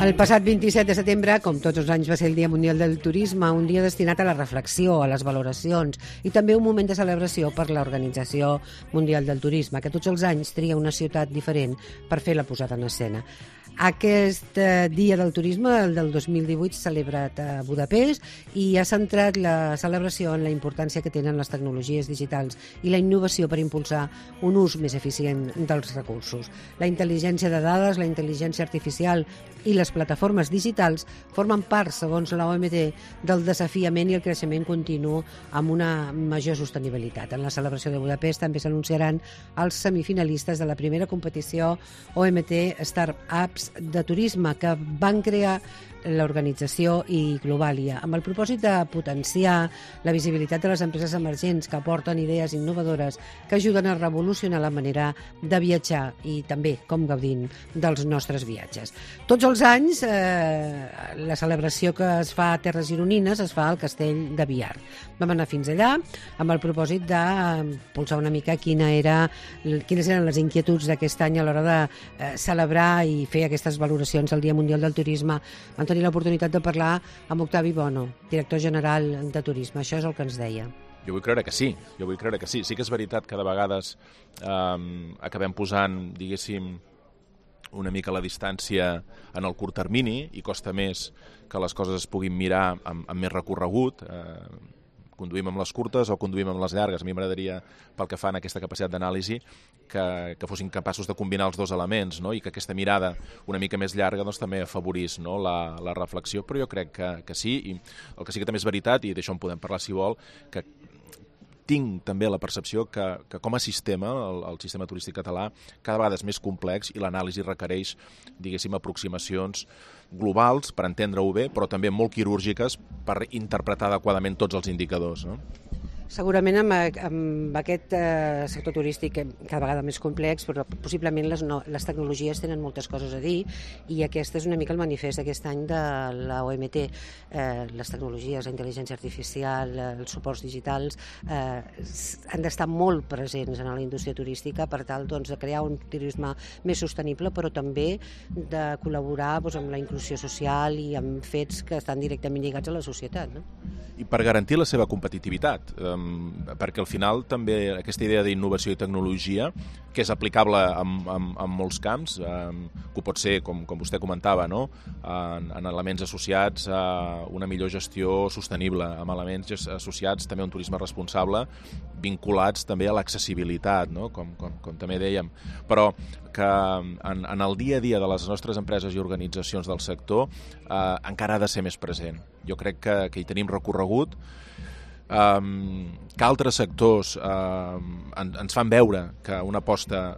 El passat 27 de setembre, com tots els anys, va ser el Dia Mundial del Turisme, un dia destinat a la reflexió, a les valoracions i també un moment de celebració per l'Organització Mundial del Turisme, que tots els anys tria una ciutat diferent per fer la posada en escena. Aquest Dia del Turisme, el del 2018, s'ha celebrat a Budapest i ha centrat la celebració en la importància que tenen les tecnologies digitals i la innovació per impulsar un ús més eficient dels recursos. La intel·ligència de dades, la intel·ligència artificial i les plataformes digitals formen part, segons la OMT, del desafiament i el creixement continu amb una major sostenibilitat. En la celebració de Budapest també s'anunciaran els semifinalistes de la primera competició OMT Startups de turisme que van crear l'organització i Globalia, amb el propòsit de potenciar la visibilitat de les empreses emergents que aporten idees innovadores que ajuden a revolucionar la manera de viatjar i també com gaudim dels nostres viatges. Tots els anys la celebració que es fa a Terres Gironines es fa al Castell de Biar. Vam anar fins allà amb el propòsit de polsar una mica quines eren les inquietuds d'aquest any a l'hora de celebrar i fer aquestes valoracions del Dia Mundial del Turisme. Vam tenir l'oportunitat de parlar amb Octavi Bono, director general de Turisme. Això és el que ens deia. Jo vull creure que sí. Sí que és veritat que de vegades acabem posant, diguéssim, una mica la distància en el curt termini i costa més que les coses es puguin mirar amb més recorregut. Conduïm amb les curtes o conduïm amb les llargues. A mi m'agradaria, pel que fa en aquesta capacitat d'anàlisi, que fossin capaços de combinar els dos elements, no? I que aquesta mirada una mica més llarga doncs, també afavorís, no? la reflexió, però jo crec que sí, i el que sí que també és veritat, i d'això en podem parlar si vol, que tinc també la percepció que com a sistema, el sistema turístic català, cada vegada és més complex i l'anàlisi requereix, diguéssim, aproximacions globals per entendre-ho bé, però també molt quirúrgiques per interpretar adequadament tots els indicadors, no? Segurament amb aquest sector turístic cada vegada més complex, però possiblement les tecnologies tenen moltes coses a dir i aquest és una mica el manifest d'aquest any de la OMT. Les tecnologies, la intel·ligència artificial, els suports digitals han d'estar molt presents en la indústria turística per tal de crear un turisme més sostenible, però també de col·laborar amb la inclusió social i amb fets que estan directament lligats a la societat, no? I per garantir la seva competitivitat, perquè al final també aquesta idea d'innovació i tecnologia, que és aplicable en molts camps, que pot ser, com vostè comentava, no? En elements associats a una millor gestió sostenible, amb elements associats també a un turisme responsable, vinculats també a l'accessibilitat, no? Com també dèiem, però que en el dia a dia de les nostres empreses i organitzacions del sector encara ha de ser més present. Jo crec que hi tenim recorregut, que altres sectors ens fan veure que una aposta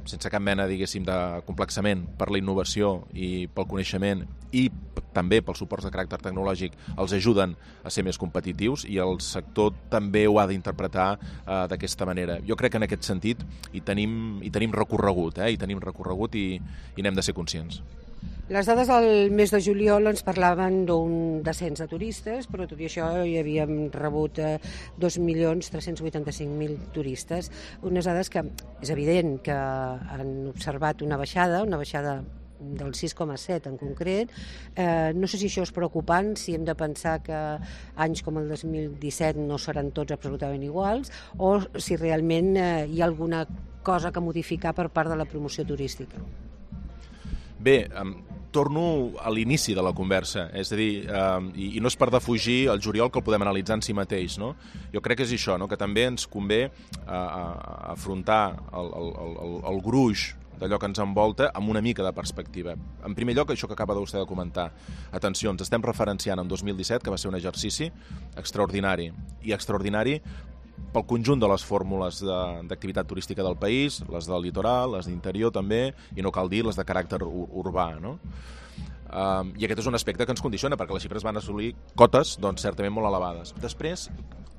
sense cap mena, diguéssim, de complexament per la innovació i pel coneixement i també pels suports de caràcter tecnològic els ajuden a ser més competitius i el sector també ho ha d'interpretar d'aquesta manera. Jo crec que en aquest sentit hi tenim recorregut, i n'hem de ser conscients. Les dades del mes de juliol ens parlaven d'un descens de turistes, però tot i això hi havíem rebut 2.385.000 turistes. Unes dades que és evident que han observat una baixada del 6,7 en concret. No sé si això és preocupant, si hem de pensar que anys com el 2017 no seran tots absolutament iguals, o si realment hi ha alguna cosa que modificar per part de la promoció turística. Bé, torno a l'inici de la conversa, és a dir, i no és per defugir el juliol que el podem analitzar en si mateix, no? Jo crec que és això, no? Que també ens convé afrontar el gruix d'allò que ens envolta amb una mica de perspectiva. En primer lloc, això que acaba vostè de comentar. Atenció, ens estem referenciant en 2017, que va ser un exercici extraordinari, i extraordinari pel conjunt de les fórmules d'activitat turística del país, les del litoral, les d'interior també, i no cal dir les de caràcter urbà, no? I aquest és un aspecte que ens condiciona, perquè les xifres van assolir cotes, doncs, certament molt elevades. Després,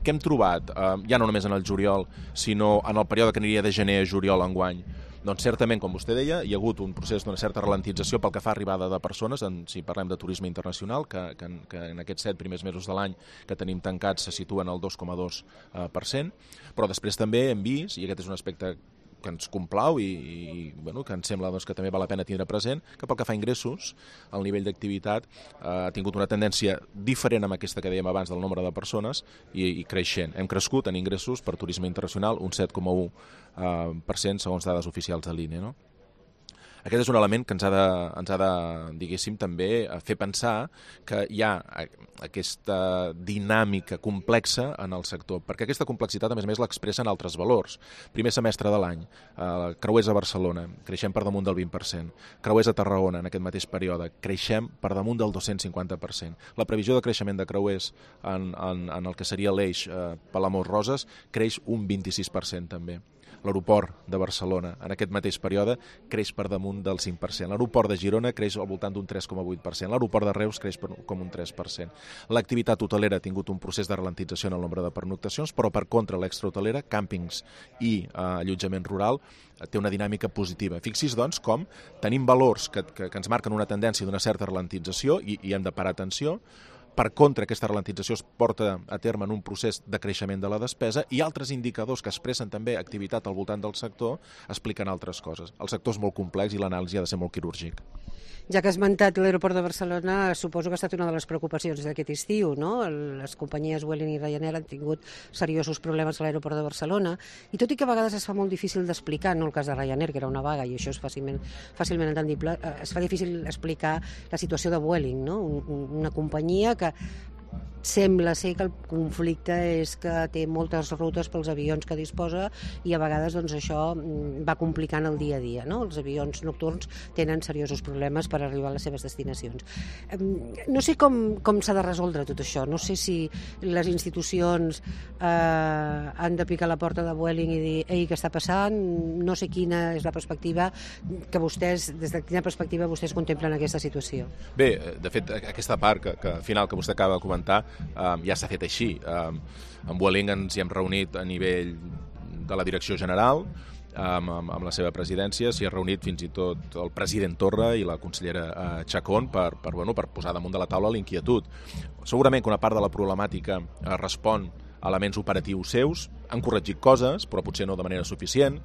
què hem trobat, ja no només en el juliol, sinó en el període que aniria de gener a juliol enguany? Doncs certament, com vostè deia, hi ha hagut un procés d'una certa ralentització pel que fa a arribada de persones, si parlem de turisme internacional, que en aquests 7 primers mesos de l'any que tenim tancats se situen al 2,2%, però després també hem vist, i aquest és un aspecte ens complau i bueno, que ens sembla doncs, que també val la pena tindre present, que pel que fa a ingressos, el nivell d'activitat ha tingut una tendència diferent amb aquesta que dèiem abans del nombre de persones i creixent. Hem crescut en ingressos per turisme internacional un 7,1% segons dades oficials de l'INE, no? Aquest és un element que ens ha de diguéssim, també fer pensar que hi ha aquesta dinàmica complexa en el sector, perquè aquesta complexitat, a més, l'expressen altres valors. Primer semestre de l'any, creuers a Barcelona, creixem per damunt del 20%. Creuers a Tarragona, en aquest mateix període, creixem per damunt del 250%. La previsió de creixement de creuers en el que seria l'eix Palamós-Roses creix un 26% també. L'aeroport de Barcelona, en aquest mateix període, creix per damunt del 5%. L'aeroport de Girona creix al voltant d'un 3,8%. L'aeroport de Reus creix com un 3%. L'activitat hotelera ha tingut un procés de ralentització en el nombre de pernoctacions, però per contra l'extrahotelera, càmpings i allotjament rural, té una dinàmica positiva. Fixi's, doncs, com tenim valors que ens marquen una tendència d'una certa ralentització i hem de parar atenció. Per contra, aquesta ralentització es porta a terme en un procés de creixement de la despesa i altres indicadors que expressen també activitat al voltant del sector expliquen altres coses. El sector és molt complex i l'anàlisi ha de ser molt quirúrgic. Ja que has esmentat l'aeroport de Barcelona, suposo que ha estat una de les preocupacions d'aquest estiu, no? Les companyies Vueling i Ryanair han tingut seriosos problemes a l'aeroport de Barcelona, i tot i que a vegades es fa molt difícil d'explicar, no el cas de Ryanair, que era una vaga, i això és fàcilment entendible, es fa difícil explicar la situació de Vueling, no? Una companyia que sembla ser que el conflicte és que té moltes rutes pels avions que disposa i a vegades doncs, això va complicant el dia a dia, no? Els avions nocturns tenen seriosos problemes per arribar a les seves destinacions. No sé com s'ha de resoldre tot això, no sé si les institucions han de picar la porta de Vueling i dir ei, què està passant? No sé quina és la perspectiva que vostès, des de quina perspectiva vostès contemplen aquesta situació. Bé, de fet, aquesta part que al final que vostè acaba de comentar ja s'ha fet així. Amb Vueling ens hi hem reunit a nivell de la direcció general, amb la seva presidència, s'hi ha reunit fins i tot el president Torra i la consellera Chacón per posar damunt de la taula l'inquietud. Segurament que una part de la problemàtica respon a elements operatius seus, han corregit coses, però potser no de manera suficient,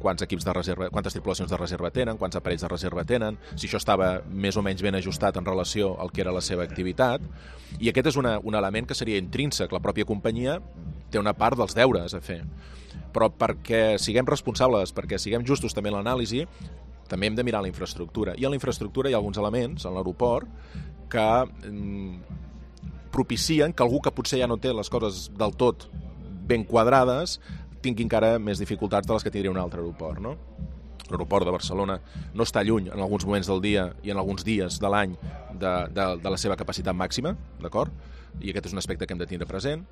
quants equips de reserva, quantes tripulacions de reserva tenen, quants aparells de reserva tenen, si això estava més o menys ben ajustat en relació al que era la seva activitat, i aquest és un element que seria intrínsec. La pròpia companyia té una part dels deures a fer, però perquè siguem responsables, perquè siguem justos també en l'anàlisi, també hem de mirar la infraestructura, i en la infraestructura hi ha alguns elements, en l'aeroport, que propicien que algú que potser ja no té les coses del tot ben quadrades tingui encara més dificultats de les que tindria un altre aeroport, no? L'aeroport de Barcelona no està lluny en alguns moments del dia i en alguns dies de l'any de la seva capacitat màxima, d'acord? I aquest és un aspecte que hem de tindre present.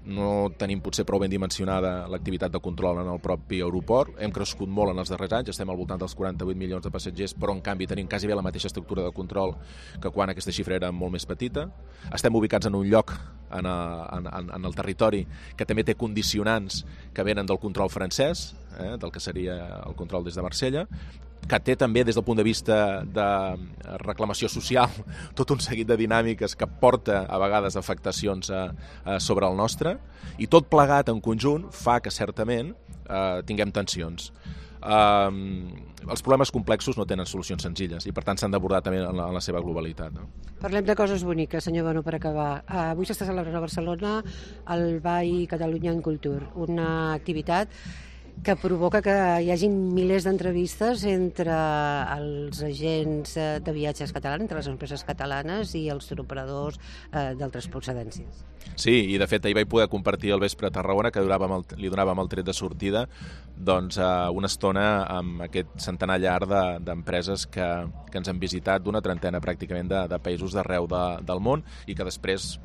No tenim potser prou ben dimensionada l'activitat de control en el propi aeroport. Hem crescut molt en els darrers anys, estem al voltant dels 48 milions de passatgers, però en canvi tenim quasi bé la mateixa estructura de control que quan aquesta xifra era molt més petita. Estem ubicats en un lloc en el territori que també té condicionants que venen del control francès, del que seria el control des de Marsella, que té també des del punt de vista de reclamació social tot un seguit de dinàmiques que porta a vegades afectacions sobre el nostre, i tot plegat en conjunt fa que certament tinguem tensions. Els problemes complexos no tenen solucions senzilles i per tant s'han d'abordar també en la seva globalitat, no? Parlem de coses boniques, senyor Bono, per acabar. Avui s'està celebrant a Barcelona el BAI Catalunya en Cultura, una activitat que provoca que hi hagi milers d'entrevistes entre els agents de viatges catalans, entre les empreses catalanes i els turoperadors d'altres procedències. Sí, i de fet ahir vaig poder compartir al vespre a Tarragona, que li donàvem el tret de sortida, doncs una estona amb aquest centenar llar d'empreses que ens han visitat d'una trentena pràcticament de països d'arreu del món i que després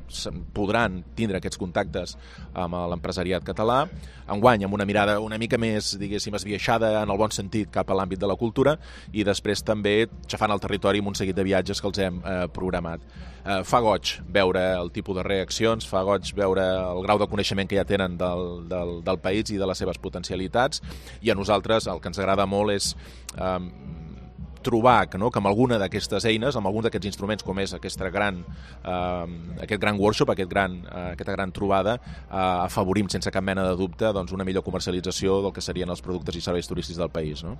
podran tindre aquests contactes amb l'empresariat català, enguany amb una mirada una mica més, diguéssim, esbiaixada en el bon sentit cap a l'àmbit de la cultura, i després també xafant el territori amb un seguit de viatges que els hem programat. Fa goig veure el tipus de reaccions, fa goig veure el grau de coneixement que ja tenen del país i de les seves potencialitats, i a nosaltres el que ens agrada molt és trobar que amb alguna d'aquestes eines, amb algun d'aquests instruments com és aquest gran workshop, aquesta gran trobada, afavorim sense cap mena de dubte una millor comercialització del que serien els productes i serveis turístics del país. No?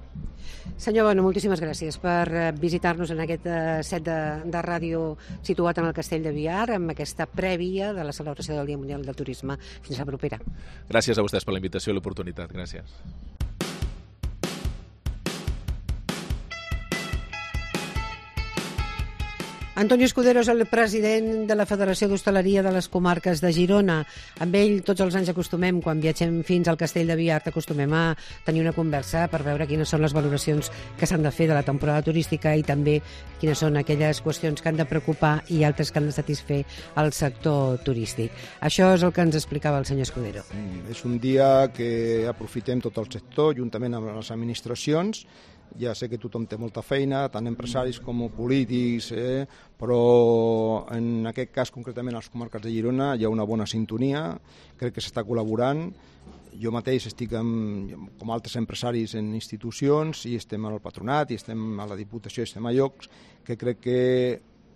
Senyor Bono, moltíssimes gràcies per visitar-nos en aquest set de ràdio situat en el Castell de Biar, amb aquesta prèvia de la celebració del Dia Mundial del Turisme. Fins la propera. Gràcies a vostès per la invitació i l'oportunitat. Gràcies. Antonio Escudero és el president de la Federació d'Hostaleria de les Comarques de Girona. Amb ell tots els anys acostumem, quan viatgem fins al Castell de Biar, acostumem a tenir una conversa per veure quines són les valoracions que s'han de fer de la temporada turística i també quines són aquelles qüestions que han de preocupar i altres que han de satisfer el sector turístic. Això és el que ens explicava el senyor Escudero. És un dia que aprofitem tot el sector, juntament amb les administracions. Ja sé que tothom té molta feina, tant empresaris com polítics, però en aquest cas, concretament a les comarques de Girona, hi ha una bona sintonia, crec que s'està col·laborant. Jo mateix estic, com altres empresaris, en institucions, i estem al patronat, i estem a la Diputació, i estem a llocs, que crec que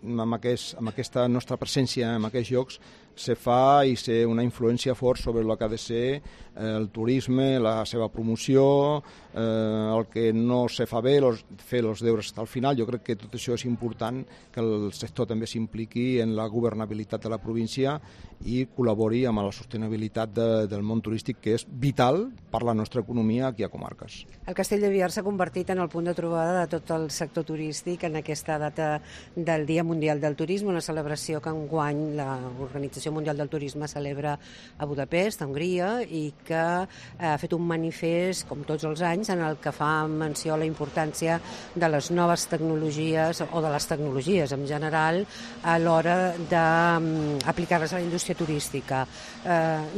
amb aquesta nostra presència en aquests llocs se fa i sé una influència fort sobre el que ha de ser el turisme, la seva promoció, el que no se fa bé, fer els deures al final. Jo crec que tot això és important, que el sector també s'impliqui en la governabilitat de la província i col·labori amb la sostenibilitat del món turístic, que és vital per la nostra economia aquí a comarques. El Castell de Biar s'ha convertit en el punt de trobada de tot el sector turístic en aquesta data del Dia Mundial del Turisme, una celebració que enguany l'Organització Mundial del Turisme celebra a Budapest, a Hongria, i que ha fet un manifest, com tots els anys, en el que fa menció a la importància de les noves tecnologies o de les tecnologies en general a l'hora d'aplicar-les a la indústria turística.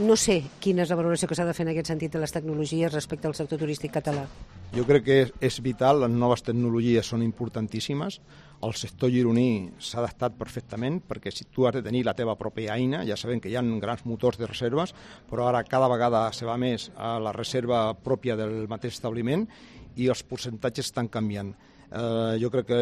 No sé quina és la valoració que s'ha de fer en aquest sentit de les tecnologies respecte al sector turístic català. Jo crec que és vital, les noves tecnologies són importantíssimes, el sector gironí s'ha adaptat perfectament, perquè si tu has de tenir la teva pròpia eina, ja sabem que hi ha grans motors de reserves, però ara cada vegada se va més a la reserva pròpia del mateix establiment i els percentatges estan canviant. Jo crec que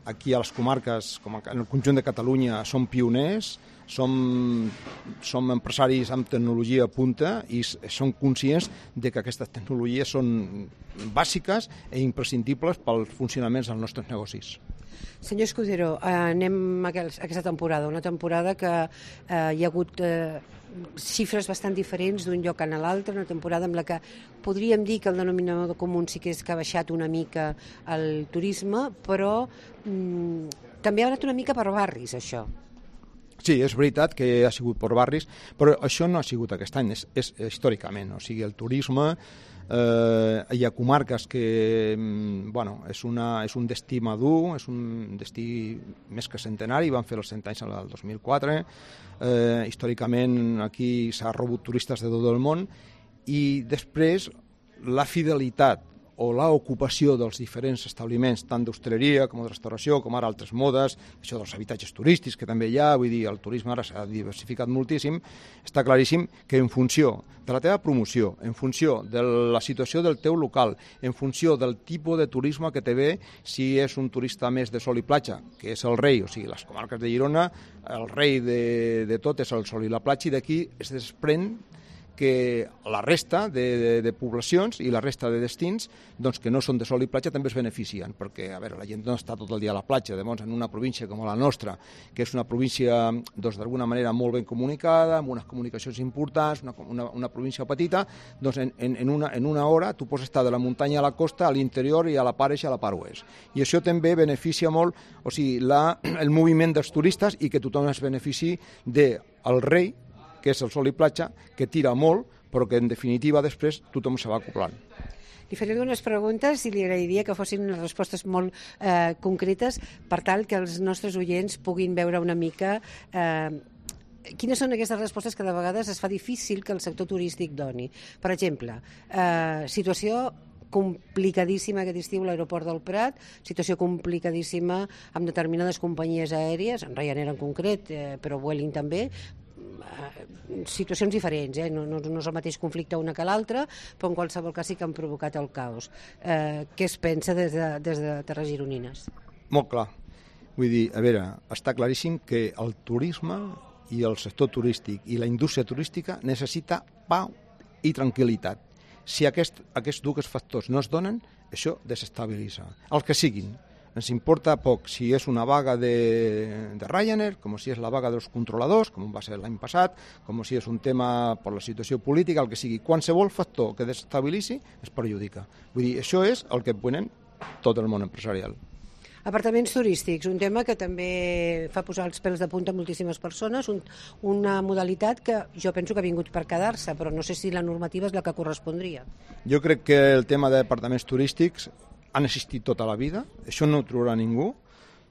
aquí a les comarques, com en el conjunt de Catalunya, som pioners, som empresaris amb tecnologia punta i som conscients de que aquestes tecnologies són bàsiques i imprescindibles pels funcionaments dels nostres negocis. Senyor Escudero, anem a aquesta temporada, una temporada que hi ha hagut xifres bastant diferents d'un lloc a l'altre, una temporada amb la que podríem dir que el denominador comú sí que és que ha baixat una mica el turisme, però també ha anat una mica per barris, això. Sí, és veritat que ha sigut per barris, però això no ha sigut aquest any, és històricament. O sigui, el turisme, hi ha comarques que és un destí madur, és un destí més que centenari, van fer els 100 anys el 2004, històricament aquí s'ha rebut turistes de tot el món, i després la fidelitat o l'ocupació dels diferents establiments, tant d'hostaleria com de restauració, com ara altres modes, això dels habitatges turístics que també hi ha, vull dir, el turisme ara s'ha diversificat moltíssim, està claríssim que en funció de la teva promoció, en funció de la situació del teu local, en funció del tipus de turisme que te ve, si és un turista més de sol i platja, que és el rei, o sigui, les comarques de Girona, el rei de tot és el sol i la platja, i d'aquí es desprèn que la resta de poblacions i la resta de destins que no són de sol i platja també es beneficien, perquè la gent no està tot el dia a la platja. Llavors, en una província com la nostra, que és una província d'alguna manera molt ben comunicada, amb unes comunicacions importants, una província petita, en una hora tu pots estar de la muntanya a la costa, a l'interior i a la part est i a la part oest. I això també beneficia molt, o sigui, el moviment dels turistes, i que tothom es benefici del rei, que és el sol i platja, que tira molt, però que en definitiva després tothom se va acoplant. Li faré algunes preguntes i li agrairia que fossin unes respostes molt concretes per tal que els nostres oients puguin veure una mica quines són aquestes respostes que de vegades es fa difícil que el sector turístic doni. Per exemple, situació complicadíssima aquest estiu a l'aeroport del Prat, situació complicadíssima amb determinades companyies aèries, en Ryanair en concret, però Vueling també, situacions diferents, no és el mateix conflicte una que l'altra, però en qualsevol cas sí que han provocat el caos. Què es pensa des de Terres Gironines? Molt clar. Vull dir, a veure, està claríssim que el turisme i el sector turístic i la indústria turística necessita pau i tranquil·litat. Si aquests dos factors no es donen, això desestabilitza. El que siguin. Ens importa poc si és una vaga de Ryanair, com si és la vaga dels controladors, com va ser l'any passat, com si és un tema per la situació política, el que sigui. Qualsevol factor que desestabilitzi es perjudica. Vull dir, això és el que ponen tot el món empresarial. Apartaments turístics, un tema que també fa posar els pèls de punta a moltíssimes persones, una modalitat que jo penso que ha vingut per quedar-se, però no sé si la normativa és la que correspondria. Jo crec que el tema d'apartaments turístics han existit tota la vida, això no ho trobarà ningú,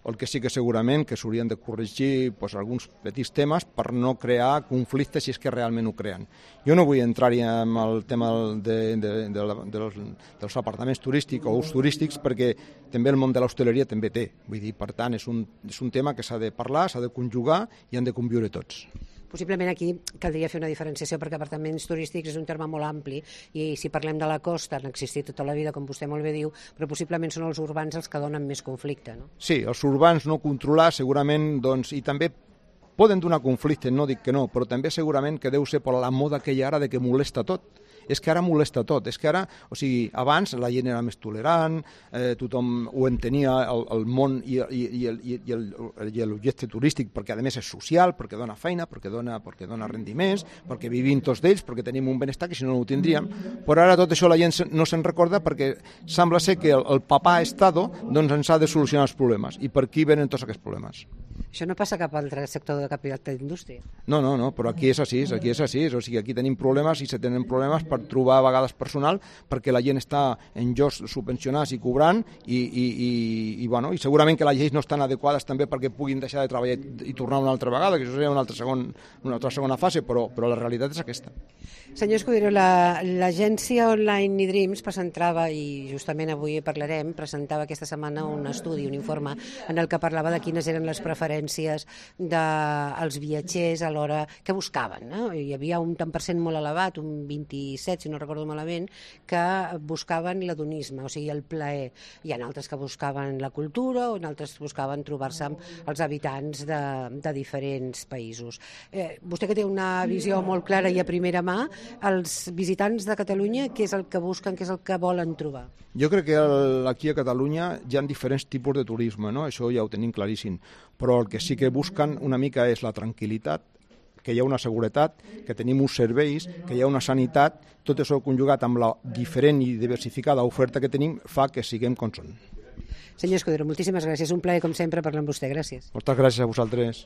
el que sí que segurament que s'haurien de corregir alguns petits temes per no crear conflictes si és que realment ho creen. Jo no vull entrar-hi en el tema dels apartaments turístics o ús turístics perquè també el món de l'hostaleria també té. Vull dir, per tant, és un tema que s'ha de parlar, s'ha de conjugar i han de conviure tots. Possiblement aquí caldria fer una diferenciació perquè apartaments turístics és un terme molt ampli i si parlem de la costa han existit tota la vida, com vostè molt bé diu, però possiblement són els urbans els que donen més conflicte, no? Sí, els urbans no controlar segurament, i també poden donar conflicte, no dic que no, però també segurament que deu ser per la moda que hi ha ara de que molesta tot. És que ara molesta tot, és que ara, abans la gent era més tolerant, tothom ho entenia el món i l'objecte turístic, perquè a més és social, perquè dona feina, perquè dona rendiments, perquè vivim tots d'ells, perquè tenim un benestar que si no ho tindríem, però ara tot això la gent no se'n recorda perquè sembla ser que el papà Estado ens ha de solucionar els problemes, i per aquí venen tots aquests problemes. Això no passa cap altre sector de cap altra indústria. No, però aquí és així, aquí tenim problemes i se tenen problemes per trobar a vegades personal perquè la gent està en llocs subvencionats i cobrant i segurament que les lleis no estan adequades també perquè puguin deixar de treballar i tornar una altra vegada, que això seria una altra segona fase, però la realitat és aquesta. Senyor Escudero, l'agència online eDreams presentava, i justament avui parlarem, presentava aquesta setmana un estudi, un informe, en el que parlava de quines eren les preferències dels viatgers a l'hora que buscaven. Hi havia un tant per cent molt elevat, un 27, si no recordo malament, que buscaven l'hedonisme, o sigui, el plaer. Hi ha altres que buscaven la cultura o altres buscaven trobar-se amb els habitants de diferents països. Vostè que té una visió molt clara i a primera mà, els visitants de Catalunya, què és el que busquen, què és el que volen trobar? Jo crec que aquí a Catalunya hi ha diferents tipus de turisme, no? Això ja ho tenim claríssim, però el que sí que busquen una mica és la tranquil·litat, que hi ha una seguretat, que tenim uns serveis, que hi ha una sanitat, tot això conjugat amb la diferent i diversificada oferta que tenim fa que siguem com són. Senyor Escudero, moltíssimes gràcies. Un plaer, com sempre, parlar amb vostè. Gràcies. Moltes gràcies a vosaltres.